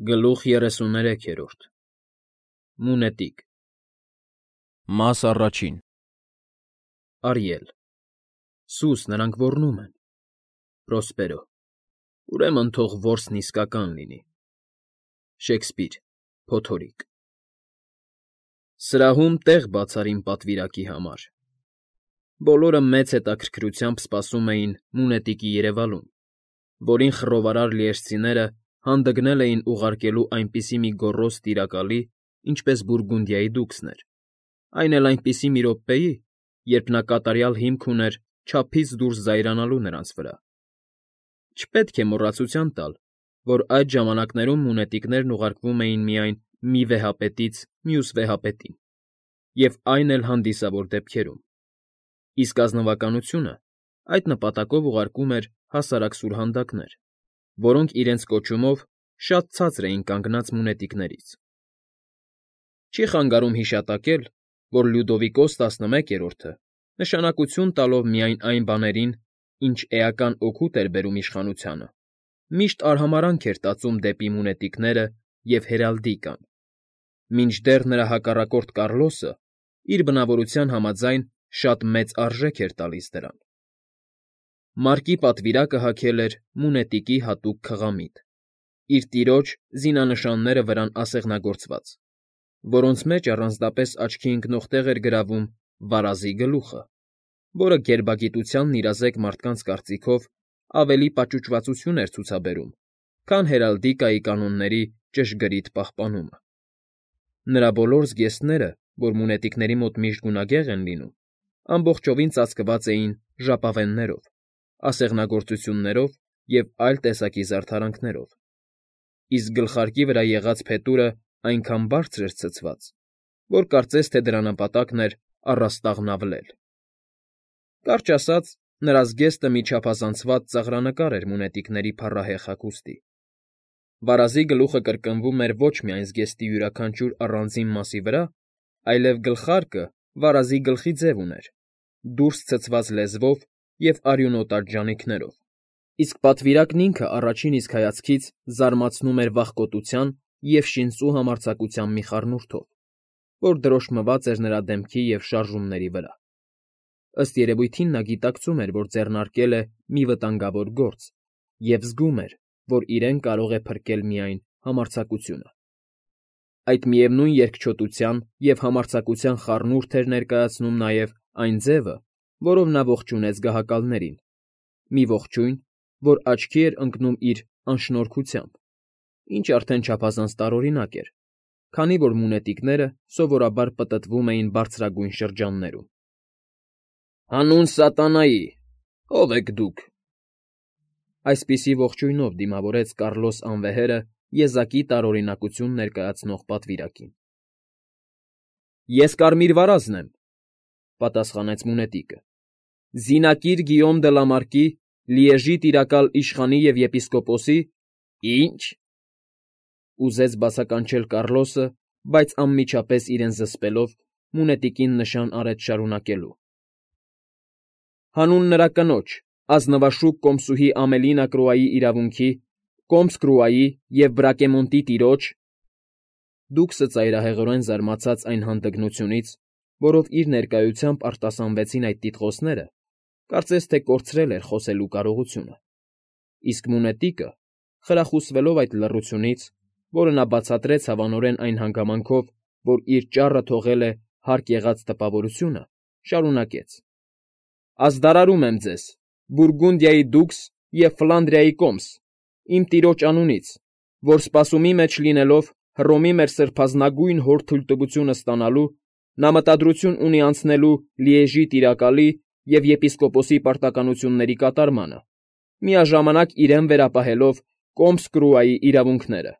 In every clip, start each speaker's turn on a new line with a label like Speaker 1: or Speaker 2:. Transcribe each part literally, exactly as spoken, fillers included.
Speaker 1: Գլուխ երեսուներեքերորդ Մունետիկ
Speaker 2: Մաս առաջին
Speaker 1: Արիել Սուս նրանք ոռնում են Պրոսպերո Ուրեմն թող որսն իսկական լինի Շեքսպիր Փոթորիկ Սրահում տեղ բացար իմ պատվիրակի համար Բոլորը մեծ հետաքրքրությամբ սպասում էին Մունետիկի երևալուն, որին խռովարար լիեժցիները հանդգնել էին ուղարկելու այնպիսի մի գոռոզ տիրակալի, ինչպես Բուրգունդիայի դուքսն էր, այն էլ այնպիսի մի րոպեի, երբ նա կատարյալ հիմք ուներ չափից դուրս զայրանալու նրանց վրա։ Չպետք է մոռացության տալ, որ այդ ժամանակներում մունետիկներն ուղարկվում էին միայն մի վեհապետից մյուս վեհապետին, և այն էլ հանդիսավոր դեպքերում, իսկ ազնվականությունը այդ նպատակով ուղարկում էր հասարակ սուրհանդակներ, որոնք իրենց կոչումով շատ ցածր էին կանգնած մունետիկներից։ Չի խանգարում հիշատակել, որ Լյուդովիկոս տասնմեկերորդը, նշանակություն տալով միայն այն բաներին, ինչ էական օգուտ էր բերում իշխանությանը, միշտ արհամարհանք էր տածում դեպի մունետիկները և հերալդիկան, մինչդեռ նրա հակառակորդ Կառլոսը իր բնավորության համաձայն շատ մեծ արժեք էր տալիս դրան։ Մարկի պատվիրակը հագել էր մունետիկի հատուկ քղամիտ, իր տիրոջ զինանշանները վրան ասեղնագործված, որոնց մեջ առանձնապես աչքի ընկնող տեղ էր գրավում վարազի գլուխը, որը գերբագիտությանն իրազեկ մարդկանց կարծիքով ավելի պաճուճվածություն էր ցուցաբերում, քան հերալդիկայի կանոնների ճշգրիտ պահպանումը։ Նրա բոլոր զգեստները, որ մունետիկների մոտ միշտ գունագեղ են լինում, ամբողջովին ծածկված էին ժապավեններով, ասեղնագործություններով և այլ տեսակի զարդարանքներով, իսկ գլխարկի վրա եղած փետուրը այնքան բարձր էր ցցված, որ կարծես թե դրա նպատակն էր առաստաղն ավլել։ Կարճ ասած, նրա զգեստը մի չափազանցված ծաղրանկար էր մունետիկների փառահեղ հագուստի։ Վարազի գլուխը կրկնվում էր ոչ միայն զգեստի յուրաքանչյուր առանձին մասի վրա, այլև գլխարկը վարազի գլխի ձև ուներ, դուրս ցցված լեզվով և արյունոտած ժանիքներով, իսկ պատվիրակն ինքը առաջին իսկ հայացքից զարմացնում էր վախկոտության և շինծու համարձակության մի խառնուրդով, որ դրոշմված էր նրա դեմքի և շարժումների վրա։ Ըստ երևույթին նա գիտակցում էր, որ ձեռնարկել է մի վտանգավոր գործ և զգում էր, որ իրեն կարող է փրկել միայն համարձակությունը։ Այդ միևնույն երկչոտության և համարձակության խառնուրդ էր ներկայացնում նաև այն ձևը, որով նա ողջունեց գահակալներին, մի ողջույն, որ աչքի էր ընկնում իր անշնորհքությամբ, ինչ արդեն չափազանց տարօրինակ էր, քանի որ մունետիկները սովորաբար պտտվում էին բարձրագույն շրջաններում։ «Հանուն սատանայի, ո՞վ եք դուք»։ Այսպիսի ողջույնով դիմավորեց Կառլոս անվեհերը եզակի տարօրինակություն ներկայացնող պատվիրակին։ «Ես Կարմիր վարազն եմ», պատասխանեց մունետիկը, «զինակիր Գիյոմ դը Լամարկի, Լիեժի տիրակալ իշխանի և եպիսկոպոսի»։ «Ի՞նչ», ուզեց բացականչել Կառլոսը, բայց անմիջապես իրեն զսպելով մունետիկին նշան արեց շարունակելու. «Հանուն նրա կնոջ, ազնվաշուք կոմսուհի Ամելինա Կրուայի իրավունքի, Կոմս Կրուայի և Բրակեմոնտի տիրոջ…» Դուքսը ծայրահեղորեն զարմացած այն հանդգնությունից, որով իր ներկայությամբ արտասանվեցին այդ տիտղոսները, կարծես թե կորցրել էր խոսելու կարողությունը, իսկ մունետիկը, խրախուսվելով այդ լռությունից, որը նա բացատրեց հավանորեն այն հանգամանքով, որ իր ճառը թողել է հարկ եղած տպավորությունը, շարունակեց. «Ազդարարում եմ ձեզ, Բուրգունդիայի դուքս և Ֆլանդրիայի կոմս, իմ տիրոջ անունից, որ սպասումի մեջ լինելով Հռոմի մեր սրբազնագույն հոր թույլտվությունը ստանալու, նա մտադրություն ունի անցնելու Լիեժի տիրակալի և եպիսկոպոսի պարտականությունների կատարմանը, միաժամանակ իրեն վերապահելով Կոմս Կրուայի իրավունքները»։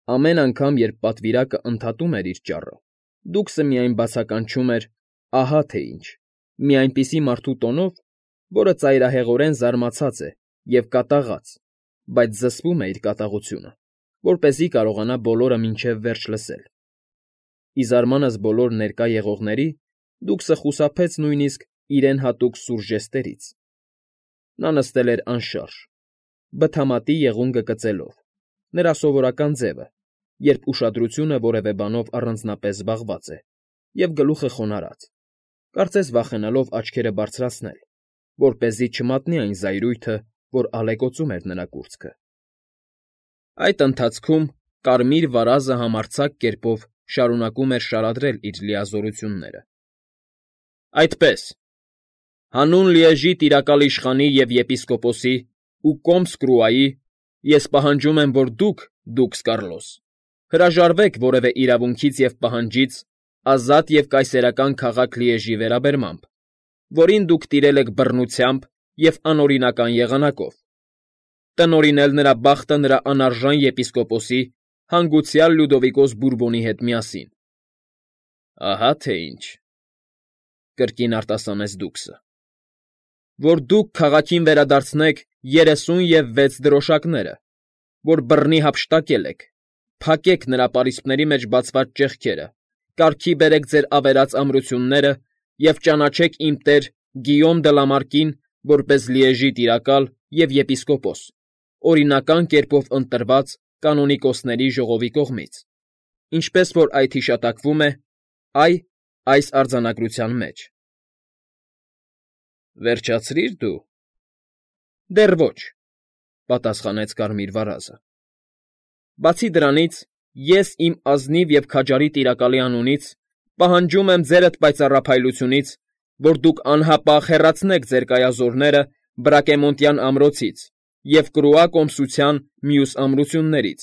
Speaker 1: Ամեն անգամ, երբ պատվիրակը ընդհատում էր իր ճառը, դուքսը միայն բացականչում էր «ահա թե ինչ» մի այնպիսի մարդու տոնով, որը ծայրահեղորեն զարմացած է և կատաղած, բայց զսպում է իր կատաղությունը, որպեսզի կարողանա բոլորը մինչև վերջ լսել։ Ի զարմանս բոլոր ներկա եղողների, դուքսը խուսափեց նույնիսկ իրեն հատուկ սուր ժեստերից։ Նա նստել էր անշարժ, բթամատի եղունգը կծելով, նրա սովորական ձևը, երբ ուշադրությունը որևէ բանով առանձնապես զբաղված է, և գլուխը խոնարհած, կարծես վախենալով աչքերը բարձրացնել, որպեսզի չմատնի այն զայրույթը, որ ալեկոծում էր նրա կուրծքը։ Այդ ընթացքում կարմիր վարազը համարձակ կերպով շարունակում էր շարադրել իր լիազորությունները։ Այդպես, հանուն Լիեժի տիրակալ իշխանի և եպիսկոպոսի ու Կոմս Կրուայի ես պահանջում եմ, որ դուք, դուքս Կարլոս, հրաժարվեք որևէ իրավունքից և պահանջից ազատ և կայսերական քաղաք Լիեժի վերաբերմամբ, որին դուք տիրել եք բռնությամբ և անօրինական եղանակով, տնօրինել նրա բախտը նրա անարժան եպիսկոպոսի, հանգուցյալ Լյուդովիկոս Բուրբոնի հետ միասին։ Ահա թե ինչ,֊ կրկին արտասանեց դուքսը,֊ որ դուք քաղաքին վերադարձնեք երեսուն և վեց դրոշակները, որ բռնի հափշտակել եք, փակեք նրա պարիսպների մեջ բացված ճեղքերը, կարգի բերեք ձեր ավերած ամրությունները և ճանաչեք իմ տեր Գիյոմ դը Լամարկին որպես Լիեժի տիրակալ և եպիսկոպոս, օրինական կերպով ընտրված կանոնիկոսների ժողովի կողմից, ինչպես որ այդ հիշատակվում է, այ, այս արձանագրության մեջ։ Վերջացրի՞ր դու։ Դեռ ոչ,֊ պատասխանեց կարմիր վարազը։ Բացի դրանից, ես իմ ազնիվ և քաջարի տիրակալի անունից պահանջում եմ ձերդ պայծառափայլությունից, որ դուք անհապաղ հեռացնեք ձեր կայազորները Բրակեմոնտյան ամրոցից և Կրուա կոմսության մյուս ամրություններից,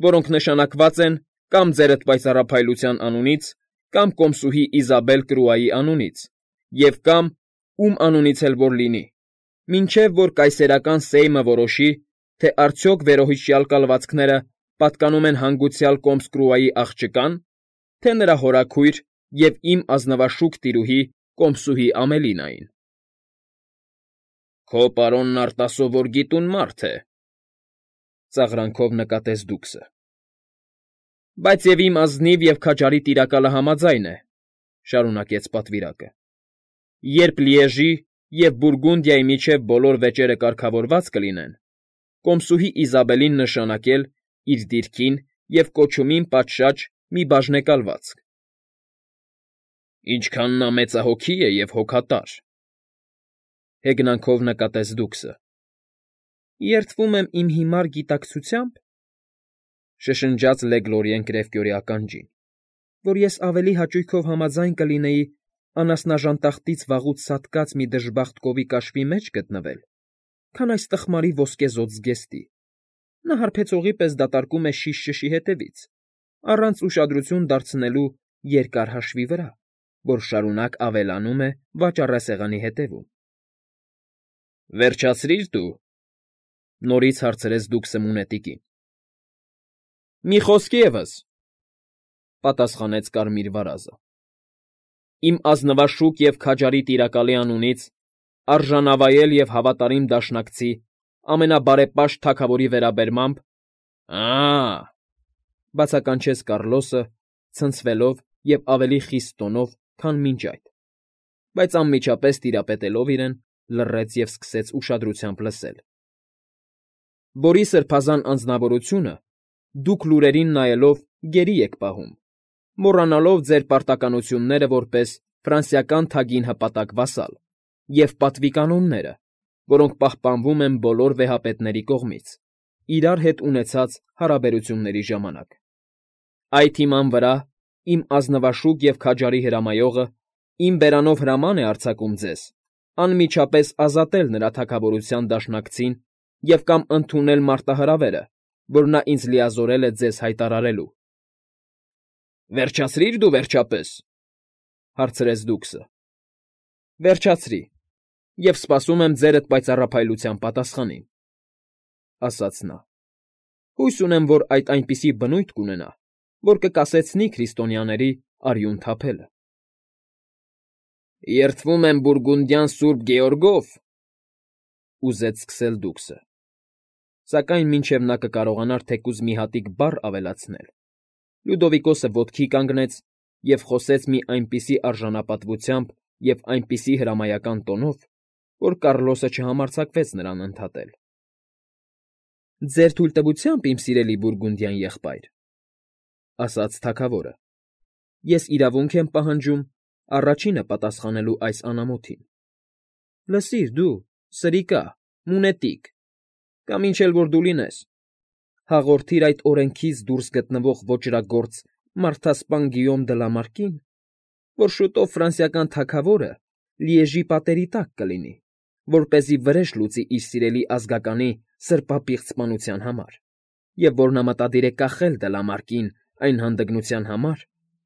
Speaker 1: որոնք նշանակված են կամ ձերդ պայծառափայլության անունից, կամ կոմսուհի Իզաբել Կրուայի անունից, և կամ ում անունից էլ որ լինի, մինչև որ կայսերական Սեյմը որոշի, թե արդյոք վերոհիշյալ կալվածքները պատկանում են հանգուցյալ Կոմս Կրուայի աղջկա՞ն, թե նրա հորաքույր և իմ ազնվաշուք տիրուհի Կոմսուհի Ամելինային։ Քո պարոնն արտասովոր գիտուն մարդ է,֊ ծաղրանքով նկատեց դուքսը։ Բայց և իմ ազնիվ և քաջարի տիրակալը համաձայն է,֊ շարունակեց պատվիրակը, երբ Լիեժի և Բուրգունդիայի միջև բոլոր վեճերը կարգավորված կլինեն, կոմսուհի Իզաբելին նշանակել իր դիրքին և կոչումին պատշաճ մի բաժնեկալվածք։ Ինչքան նա մեծահոգի է և հոգատար,֊ հեգնանքով նկատեց դուքսը։ Երդվում եմ իմ հիմար գիտակցությա՞մբ,֊ շշնջաց Լեգլորիեն կրևկյորի ականջին,֊ որ ես ավելի հաճույքով համաձայն կլինեի անասնաժանտախտից վաղուց սատկած մի դժբախտ կովի կաշվի մեջ գտնվել, քան այս տխմարի ոսկեզօծ զգեստի. նա հարբեցողի պես դատարկում է շիշ ճշի հետևից, առանց ուշադրություն դարձնելու երկար հաշվի վրա, որ շարունակ ավելանում է վաճառասեղանի հետևում։ Վերջացրի՞ր դու,֊ նորից հարցրեց դուքսը մունետիկին։ Մի խոսք ևս,֊ պատասխանեց կարմիր վարազը, իմ ազնվաշուք և քաջարի տիրակալի անունից արժանավայել և հավատարիմ դաշնակցի ամենաբարեպաշտ թագավորի վերաբերմամբ… Ա՜,֊ բացականչեց Կառլոսը, ցնցվելով և ավելի խիստ տոնով, քան մինչ այդ, բայց անմիջապես տիրապետելով իրեն, լռեց և սկսեց ուշադրությամբ լսել։ Որի սրբազան անձնավորությունը դուք լուրերին նայելով գերի եք պահում, մոռանալով ձեր պարտականությունները որպես ֆրանսիական թագին հպատակ վասալ և պատվիկանոնները, որոնք պահպանվում են բոլոր վեհապետների կողմից, իրար հետ ունեցած հարաբերությունների ժամանակ։ Այդ հիման վրա իմ ազնվաշուք և քաջարի հրամայողը իմ բերանով հրաման է արձակում ձեզ անմիջապես ազատել նրա թագավորության դաշնակցին և կամ ընդունել մարտահրավերը, որ նա ինձ լիազորել է ձեզ հայտարարելու։ Վերջացրի՞ր դու, վերջապես,֊ հարցրեց դուքսը։ Վերջացրի, և սպասում եմ ձերդ պայծառափայլության պատասխանին,֊ ասաց նա։ Հույս ունեմ, որ այդ այնպիսի բնույթ կունենա, որ կկասեցնի քրիստոնյաների արյուն թափելը։ Երդվում եմ բուրգունդյան Սուրբ Գեորգով,֊ ուզեց սկսել դուքսը, սակայն մինչև նա կկարողանար թեկուզ մի հատիկ բառ ավելացնել, Լյուդովիկոսը ոտքի կանգնեց և խոսեց մի այնպիսի արժանապատվությամբ և այնպիսի հրամայական տոնով, որ Կառլոսը չհամարձակվեց նրան ընդհատել։ Ձեր թույլտվությամբ, իմ սիրելի բուրգունդյան եղբայր, ասաց թագավորը, ես իրավունք եմ պահանջում առաջինը պատասխանելու այս անամոթին։ Լսիր դու, սրիկա, մունետիկ, կամ ինչ էլ որ դու լինես, հաղորդիր այդ օրենքից դուրս գտնվող ոճրագործ մարդասպան Գիյոմ դը Լամարկին, որ շուտով ֆրանսիական թագավորը Լիեժի պատերի տակ կլինի, որպեսզի վրեժ լուծի իր սիրելի ազգականի սրբապիղծ սպանության համար, և որ նա մտադիր է կախել Դլամարկին այն հանդգնության համար,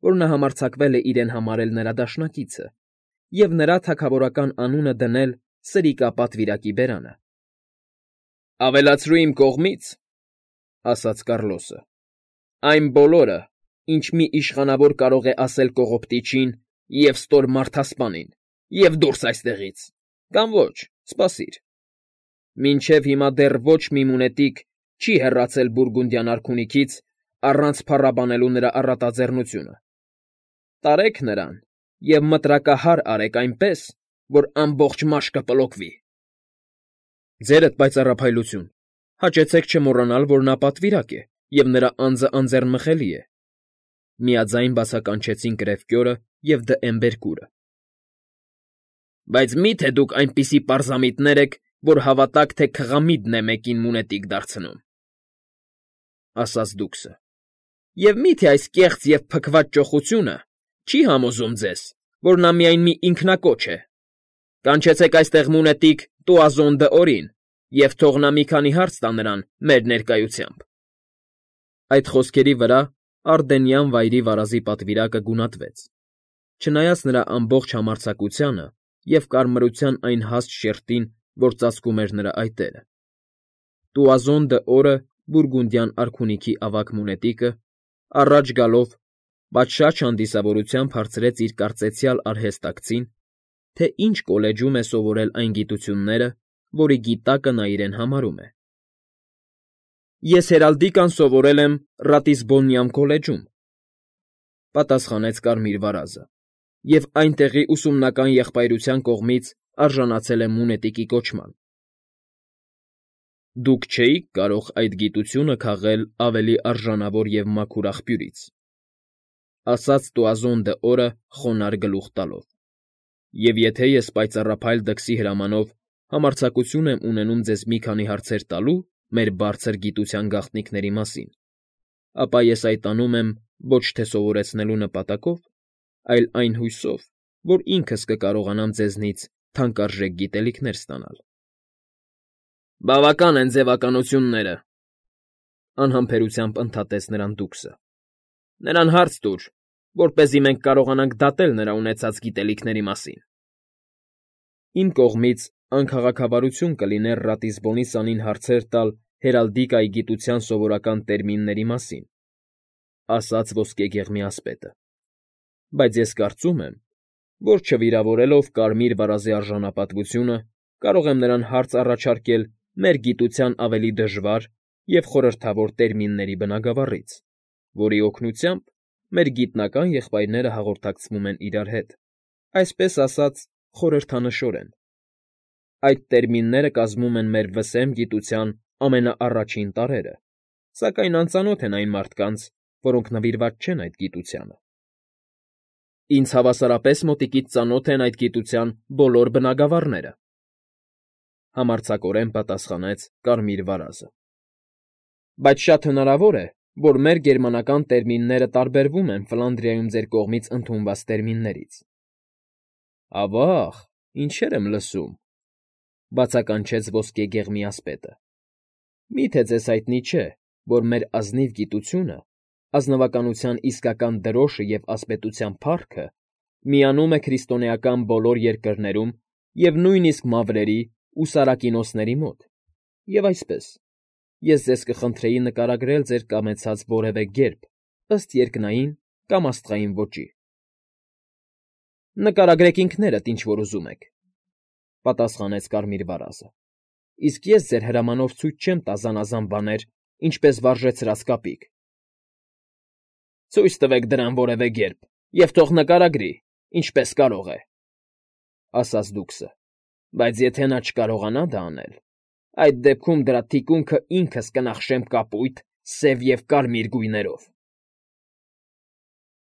Speaker 1: որ նա համարձակվել է իրեն համարել նրա դաշնակիցը, և նրա թագավորական անունը դնել սրիկա պատվիրակի բերանը։ Ավելացրու իմ կողմից, ասաց Կառլոսը, այն բոլորը, ինչ մի իշխանավոր կարող է ասել կողոպտիչին և ստոր մարդասպանին, և դուրս այստեղից, կամ ոչ, սպասիր։ Մինչև հիմա դեռ ոչ մի մունետիկ չի հեռացել Բուրգունդյան արքունիքից առանց փառաբանելու նրա առատաձեռնությունը։ Տարեք նրան և մտրակահար արեք այնպես, որ ամբողջ մաշկը պլոկվի։ Ձերդ պայծառափայլություն, հաճեցեք չմոռանալ, որ նա պատվիրակ է, և նրա անձը անձեռնմխելի է, միաձայն բացականչեցին Կրևկյորը և Դ'Եմբերկուրը։ Բայց մի՞թե դուք այնպիսի պարզամիտներ եք, որ հավատաք, թե քղամիդն է մեկին մունետիկ դարձնում, ասաց դուքսը, և մի՞թե այս կեղծ և փքված ճոխությունը չի համոզում ձեզ, որ նա միայն մի ինքնակոչ է։ Կանչեցեք այստեղ մունետիկ Տուազոն դ'Օրին և թող նա մի քանի հարց տա նրան մեր ներկայությամբ։ Այդ խոսքերի վրա Արդենյան վայրի վարազի պատվիրակը գունատվեց, չնայած նրա ամբողջ համարձակությանը և կարմրության այն հաստ շերտին, որ ծածկում էր նրա այտերը։ Տուազոն դ'Օրը, Բուրգունդյան արքունիքի ավագ մունետիկը, առաջ գալով, պատշաճ հանդիսավորությամբ հարցրեց իր կարծեցյալ արհեստակցին, թե ինչ կոլեջում է սովորել այն գիտությունները, որի գիտակը նա իրեն համարում է։ Ես հերալդիկան սովորել եմ Ռատիսբոնյան քոլեջում, պատասխանեց Կարմիր վարազը, և այնտեղի ուսումնական եղբայրության կողմից արժանացել եմ մունետիկի կոչման։ Դուք չէի՞ք կարող այդ գիտությունը քաղել ավելի արժանավոր և մաքուր աղբյուրից, ասաց Տուազոն դ'Օրը խոնարհ գլուխ տալով, և եթե ես պայծառափայլ դքսի հրամանով համարձակություն եմ ունենում ձեզ մի քանի հարցեր տալու մեր բարձր գիտության գաղտնիքների մասին, ապա ես այդ անում եմ ոչ թե սովորեցնելու նպատակով, այլ այն հույսով, որ ինքս կկարողանամ ձեզնից թանկարժեք գիտելիքներ ստանալ։ Բավական են ձևականությունները, անհամբերությամբ ընդհատեց նրան դուքսը։ Նրան հարց տուր, որպեսզի մենք կարողանանք դատել նրա ունեցած գիտելիքների մասին։ Իմ կողմից անքաղաքավարություն կլիներ Ռատիսբոնի սանին հարցեր տալ հերալդիկայի գիտության սովորական տերմինների մասին, ասաց ոսկեգեղմի ասպետը, բայց ես կարծում եմ, որ չվիրավորելով Կարմիր վարազի արժանապատվությունը կարող եմ նրան հարց առաջարկել մեր գիտության ավելի դժվար և խորհրդավոր տերմինների բնագավառից, որի օգնությամբ մեր գիտնական եղբայրները հաղորդակցվում են իրար հետ, այսպես ասած, խորհրդանշորեն։ Այդ տերմինները կազմում են մեր վսեմ գիտության ամենաառաջին տարրերը, սակայն անծանոթ են այն մարդկանց, որոնք նվիրված չեն այդ գիտությանը։ Ինձ հավասարապես մոտիկից ծանոթ են այդ գիտության բոլոր բնագավառները, համարձակորեն պատասխանեց Կարմիր վարազը։ Բայց շատ հնարավոր է, որ մեր գերմանական տերմինները տարբերվում են Ֆլանդրիայում ձեր կողմից ընդունված տերմիններից։ Ավա՜ղ, ինչեր եմ լսում, բացականչեց ոսկեգեղմի ասպետը։ Մի՞թե ձեզ հայտնի չէ, որ մեր ազնիվ գիտությունը, ազնվականության իսկական դրոշը և ասպետության փառքը միանում է քրիստոնեական բոլոր երկրներում և նույնիսկ մավրերի ու սարակինոսների մոտ, և այսպես, ես ձեզ կխնդրեի նկարագրել ձեր կամեցած որևէ գերբ ըստ երկնային կամ աստղային ոճի։ Նկարագրեք ինքներդ, ինչ որ ուզում եք, պատասխանեց Կարմիր վարազը, իսկ ես ձեր հրամանով ցույց չեմ տա զանազան բաներ, ինչպես վարժեցրած կապիկ։ Ցույց տվեք դրան որևէ գերբ և թող նկարագրի, ինչպես կարող է, ասաց դուքսը, բայց եթե նա չկարողանա դա անել, Այդ դեպքում դրա թիկունքը ինքս կնախշեմ կապույտ, սև և կարմիր գույներով։